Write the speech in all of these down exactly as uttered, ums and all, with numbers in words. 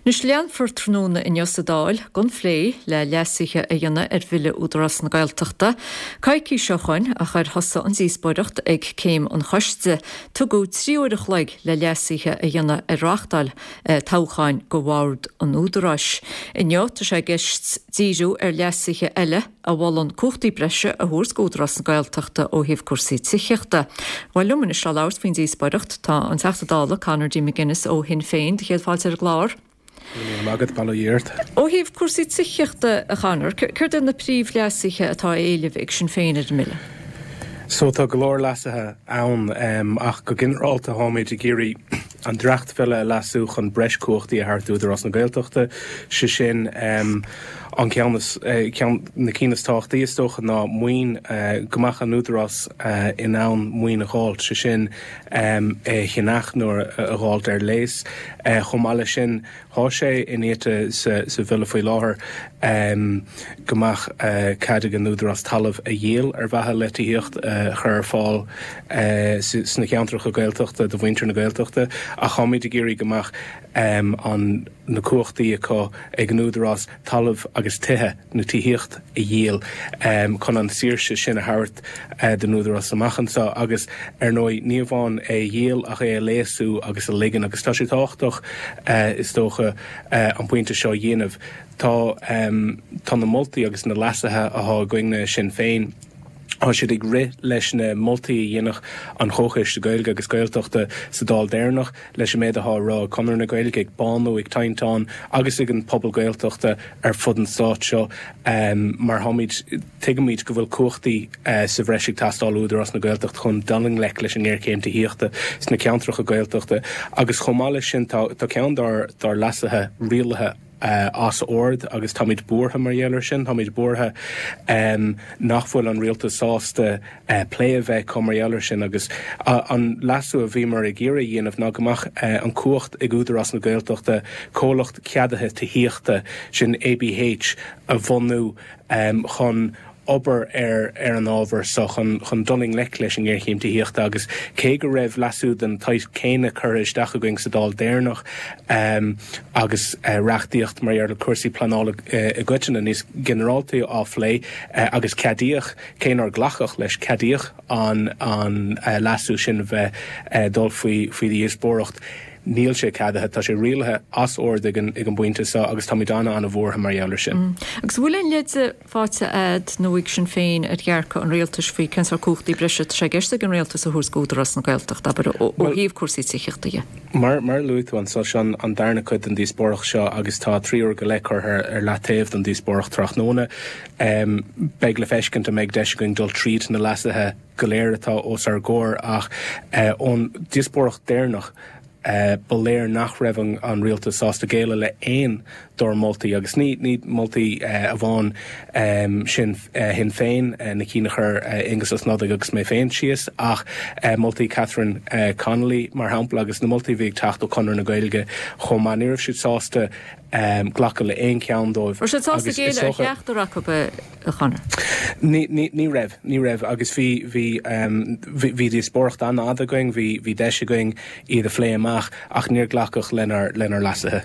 Anois leanfar tráthnóna inniu sa Dáil den phlé le leasuithe a dhéanamh ar Bhille Údarás na Gaeltachta. Coicís ó shoin a chuir thosaigh an díospóireacht ag céim an choiste. Tugadh trí uair a chloig le leasuithe a dhéanamh ar reachtáil eh, toghcháin go bhord an Údaráis. Inniu tá sé i gceist díriú ar leasuithe eile a mholann cumhachtaí breise a thabhairt d'Údarás na Gaeltachta ó thaobh cúrsaí tithíochta. Bhuel liom anois le labhairt faoin díospóireacht tá an Teachta Dála Conor D. McGuinness ó Shinn Féin céad fáilte ar an gclár. Agad bail ó Dhia ort. Ó thaobh cúrsaí tithíochta a Chonor, céard iad na príomhleasuithe atá á éileamh ag Sinn Féin ar an mbille. So tá go leor leasuithe ann um, ach go ginearálta táimid ag iarraidh an dréachtbhille a leasú chun breis cumhachtaí a thabhairt d'Údarás na Gaeltachta sé sin um, an ceann eh, na cinn is tábhachtaí is dócha ná maoin uh, go mbeadh an údarás uh, in ann maoin a dháileadh sé sin um, é cheannach nó a dháileadh ar léas uh, chomh maith leis sin tá sé inite sa, sa bhille faoi láthair um, go mbeadh uh, cead ag an údarás talamh a dhíol ar mhaithe le tithíocht uh, chur ar fáil uh, sna ceantracha Gaeltachta do mhuintir na Gaeltachta ach táimid ag iarraidh go mbeadh um, an na cumhachtaí acu ag an údarás talamh agus tithe nó tithíocht a dhíol um, chun an saoirse sin a thabhairt uh, don údarás amach anseo agus ar ndóigh ní amháin é dhíol ach é a léasú agus a ligean agus tá sé tábhachtach uh, is dócha uh, an pointe seo dhéanamh tá um, tá na moltaí agus na leasuithe atá againne Sinn Féin. Tá siad ag rith leis na moltaí a dhéanach an Chomhchoiste Gaeilge agus Gaeltachta sa Dáil deireanach leis an méid atá rá Conradh na Gaeilge ag Bánú ag Tinteán agus ag an pobal Gaeltachta ar fud an stáit seo um, mar táimid tuigimid go bhfuil cumhachtaí uh, sa bhreis ag teastáil Údarás na Gaeltacht chun dul i ngleic leis an ngéarchéim tithíochta sna ceantracha Gaeltachta agus chomh maith leis sin tá ceann dár dár leasuithe rialaithe uh, as ord agus táimid buartha mar gheall air sin táimid buartha um, nach bhfuil an rialtas sásta uh, plé a bheith acu mar gheall air sin agus uh, an leasú a bhíomar ag iarraidh a dhéanamh ná go mbeadh uh, an cumhacht ag Údarás na Gaeltachta comhlacht ceadaithe tithíochta sin ABH a bhunú um, chun obair ar ar an ábhar so chun chun dul i ngleic leis an ngéarchéim tithíochta agus cé go raibh leasú den tsaghas céanna curtha isteach againn sa Dáil deireanach um, agus uh, reachtaíocht mar ar cúrsaí pleanála uh, i gcoitinne níos ginearálta á phlé uh, agus ceadaíodh cé nár glacadh leis ceadaíodh an an uh, leasú sin bheith uh, dul faoi faoi dhíospóireacht. Níl sé ceadaithe tá sé rialaithe as ord ag an ag an bpointe seo agus táimid ana ana-bhuartha mar gheall air sin. Mm. Agus bhfuil aon leid faighte agat nó ag Sinn Féin ar dhearcadh an rialtais faoi cén sórt cumhachtaí breise atá i gceist ag an rialtas a thabhairt d'Údarás na Gaeltachta abair ó thaobh cúrsaí tithíochta. Mar mar luaigh tú anseo sin an darna cuid den díospóireacht seo agus tá trí uair go leith curtha ar leataobh don díospóireacht tráthnóna. Um, beidh le feiscint an mbeidh deis againn dul tríd na leasuithe go léir atá os ár gcomhair ach uh, ón díospóireacht deireanach Uh, ba léir nach raibh an, an rialtas sásta géilleadh le haon dár moltaí agus ní ní moltaí uh, amháin um, sin uh, Shinn Féin uh, na cinn a chuir uh, Aengus Ó Snodaigh agus mé féin síos ach uh, moltaí Catherine uh, Connolly mar shampla agus na moltaí bhí ag teacht ó Chonradh na Gaeilge chomh maith ní raibh siad sásta um, glacadh le aon cheann dóibh. Raibh siad sásta géilleadh ar cheachtar acu a Chonor? Ní, ní, ní raibh ní raibh agus bhí bhí um, bhí díospóireacht an-fhada againn bhí bhí deis againn iad a phlé amach ach níor glacadh lenár lenár leasuithe.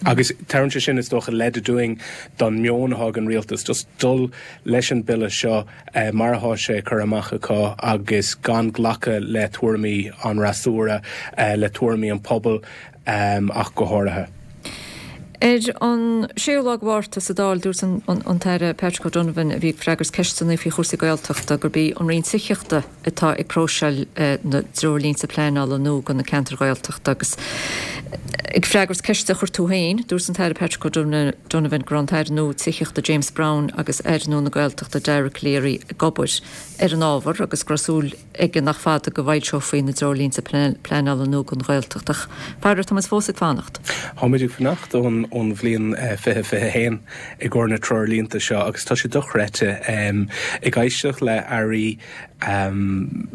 Agus tugann sé sin is dócha leid dúinn don meon atá ag an rialtas just dul leis an bille seo eh, mar atá sé curtha amach acu agus gan glacadh le tuairimí an fhreasúra eh, le tuairimí an pobal um, ach go háirithe. Ar an séú lá Márta sa Dáil dúirt an, an, an tAire Patrick O'Donovan a bhí ag freagairt ceisteanna faoi chúrsaí Gaeltachta gurb í an Roinn Tithíochta atá ag próiseáil eh, na dtreoirlínte pleanála nua do na ceantair Ghaeltachta agus ag freagairt ceiste a chuir tú féin, dúirt an tAire Patrick O'Donovan go raibh an tAire nua Tithíochta James Browne agus Aire nua na Gaeltachta Dara Calleary ag obair ar an ábhar agus go raibh súil aige nach fada go bhfoilseofaí na dtreoirlínte pleanála nua don Ghaeltacht ach faraor táimid fós ag fanacht. Táimid ag fanacht ón ón bhliain fiche fiche haon i gcomhair na treoirlínte seo agus tá sé dochreidte um, ag éisteacht le airí um,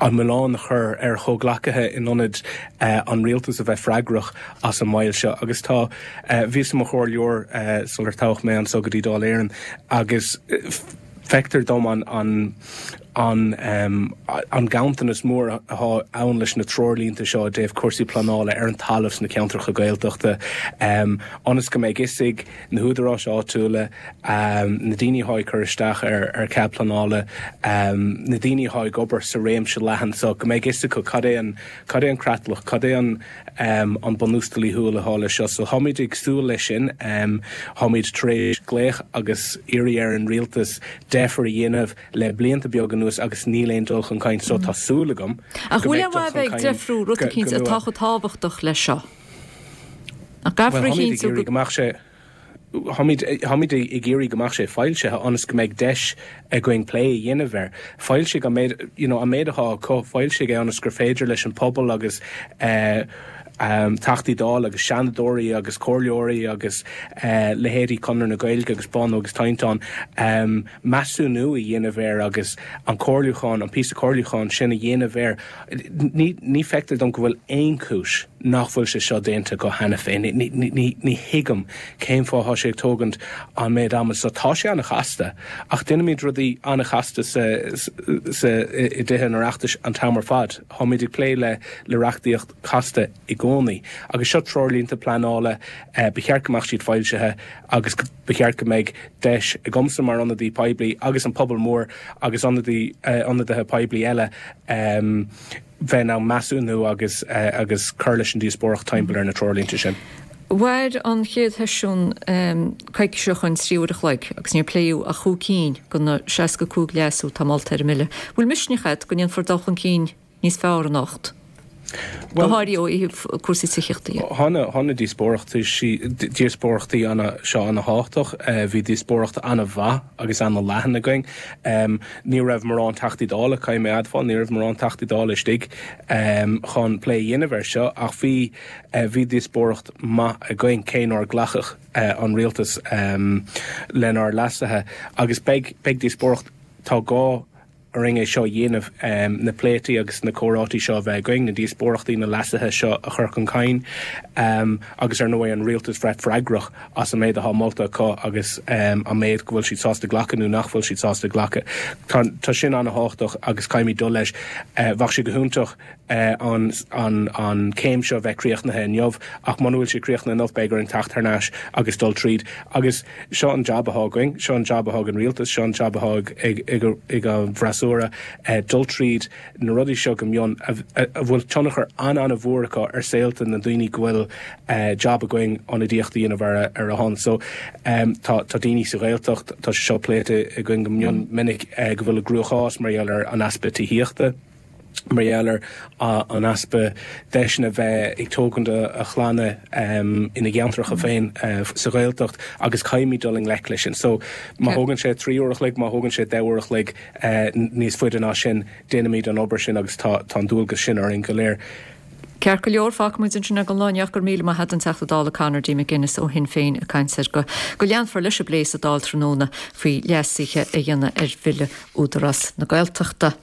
an milleán a chur ar chomhghleacaithe in ionad uh, an rialtas a bheith freagrach as an moill seo agus tá uh, bhíos i mo chomhairleoir uh, sular toghadh mé anseo go dtí Dáil Éireann agus uh, feictear dom an an an an ganntanas mór atá ann leis na treoirlínte seo i dtaobh cúrsaí pleanála ar an talamh sna ceantracha Gaeltachta, ionas go mbeidh fhios ag na húdaráis áitiúla, na daoine atá ag cur isteach ar ar cead pleanála, na daoine atá ag obair sa réimse leathan seo, go mbeidh fhios acu cad é an cad é an creatlach, cad é an an bunús dlíthiúil atá leis seo. So táimid ag súil leis sin. Táimid tar éis glaoch agus iarraidh ar an rialtas deifir a dhéanamh le blianta beaga anuas agus níl aon dul chun cinn so tá súil agam Ach go bhfuil aon mhaith a bheith ag deifriú rud eicínt atá chomh tábhachtach leis seo? Nach gcaithfear a chinntiú go. go mbeadh sé Táimid táimid ag iarraidh go mbeadh sé foilsithe ionas go mbeidh deis againn plé a dhéanamh air. Foilsigh an méid you know an méid atá acu, foilsigh é ionas gur féidir leis an pobal agus eh Teachtaí Dála agus Seanadóirí agus Comhairleoirí agus leithéidí Conradh na Gaeilge agus Bono agus Tinteán measúnú a dhéanamh air agus an comhairliúchán, an píosa comhairliúcháin sin a dhéanamh air. Ní ní feictear dom go bhfuil aon chúis nach bhfuil sé seo déanta acu cheana féin. Ní ní ní thuigim cén fáth atá sé ag tógaint an méid ama so. Tá sé an-chasta ach déanaimid rudaí an-chasta sa sa i dTithe an Oireachtais an t-am ar fad. Táimid ag plé le le reachtaíocht chasta i gcónaí. Agus seo treoirlínte pleanála, ba cheart go mbeadh siad foilsithe agus ba cheart go mbeidh deis agamsa mar ionadaí poiblí agus an pobal mór agus ionadaí ionadaithe poiblí eile bheith in ann measúnú agus agus cur leis an díospóireacht timpeall ar na treoirlínte sin. Mhair an chéad sheisiún coicís ó shoin trí uair a chloig agus níor pléadh ach chúig cinn de na seasca cúig leasú atá molta ar an mbille. Bhfuil misneach agat go ndéanfar dul chun cinn níos fearr anocht? Go háirithe ó thaobh cúrsaí tithíochta dhe. Tá na díospóireachtaí seo ana-thábhachtach. Bhí díospóireacht ana-mhaith agus ana-leathan againn. Ní raibh mórán Teachtaí Dála, caithfidh mé a admháil, ní raibh mórán Teachtaí Dála istigh chun plé a dhéanamh air seo ach bhí bhí díospóireacht maith againn cé nár glacadh an rialtas lenár leasuithe agus beidh beidh díospóireacht, tá gá orainn é seo a dhéanamh, na pléití agus na comhráití seo a bheith againn, na díospóireachtaí, na leasuithe seo a chur chun cinn agus ar ndóigh an rialtas bheith freagrach as an méid atá molta acu agus an méid go bhfuil siad sásta glacadh nó nach bhfuil siad sásta glacadh. Tá sin an-thábhachtach agus caithfimid dul leis. Bheadh sé go hiontach an an céim seo a bheith críochnaithe inniu ach muna bhfuil sé críochnaithe inniu beidh orainn teacht thar n-ais agus dul tríd agus seo an jab atá againn, seo an jab atá ag an rialtas, seo an jab atá ag ag ag an bhfreasúra, dul tríd na rudaí seo go mion a bhfuil tionchar an-an-mhór acu ar saolta na ndaoine go bhfuil jab againn ionadaíocht a dhéanamh ar ar a shon. So tá tá daoine sa Ghaeltacht, tá sé seo pléite againn go mion minic go bhfuil i gcruachás mar gheall ar an easpa tithíochta. mar gheall ar an easpa deiseanna bheith ag tógaint a chlanna ina gceantracha féin sa Ghaeltacht agus caithfimid dul i ngleic leis sin. So má thógann sé trí uair a chloig, má thógann sé deich uair a chloig níos faide ná sin, déanfaimid an obair sin agus tá an dualgas sin orainn go léir. Ceart go leor, fágfaidh muid ansin é don lá inniu. Go raibh míle maith agat, an Teachta Dála Conor D. McGuinness ó Shinn Féin ag caint ar go go leanfar leis an bplé sa Dáil tráthnóna faoi leasuithe a dhéanamh ar Bhille Údarás na Gaeltachta.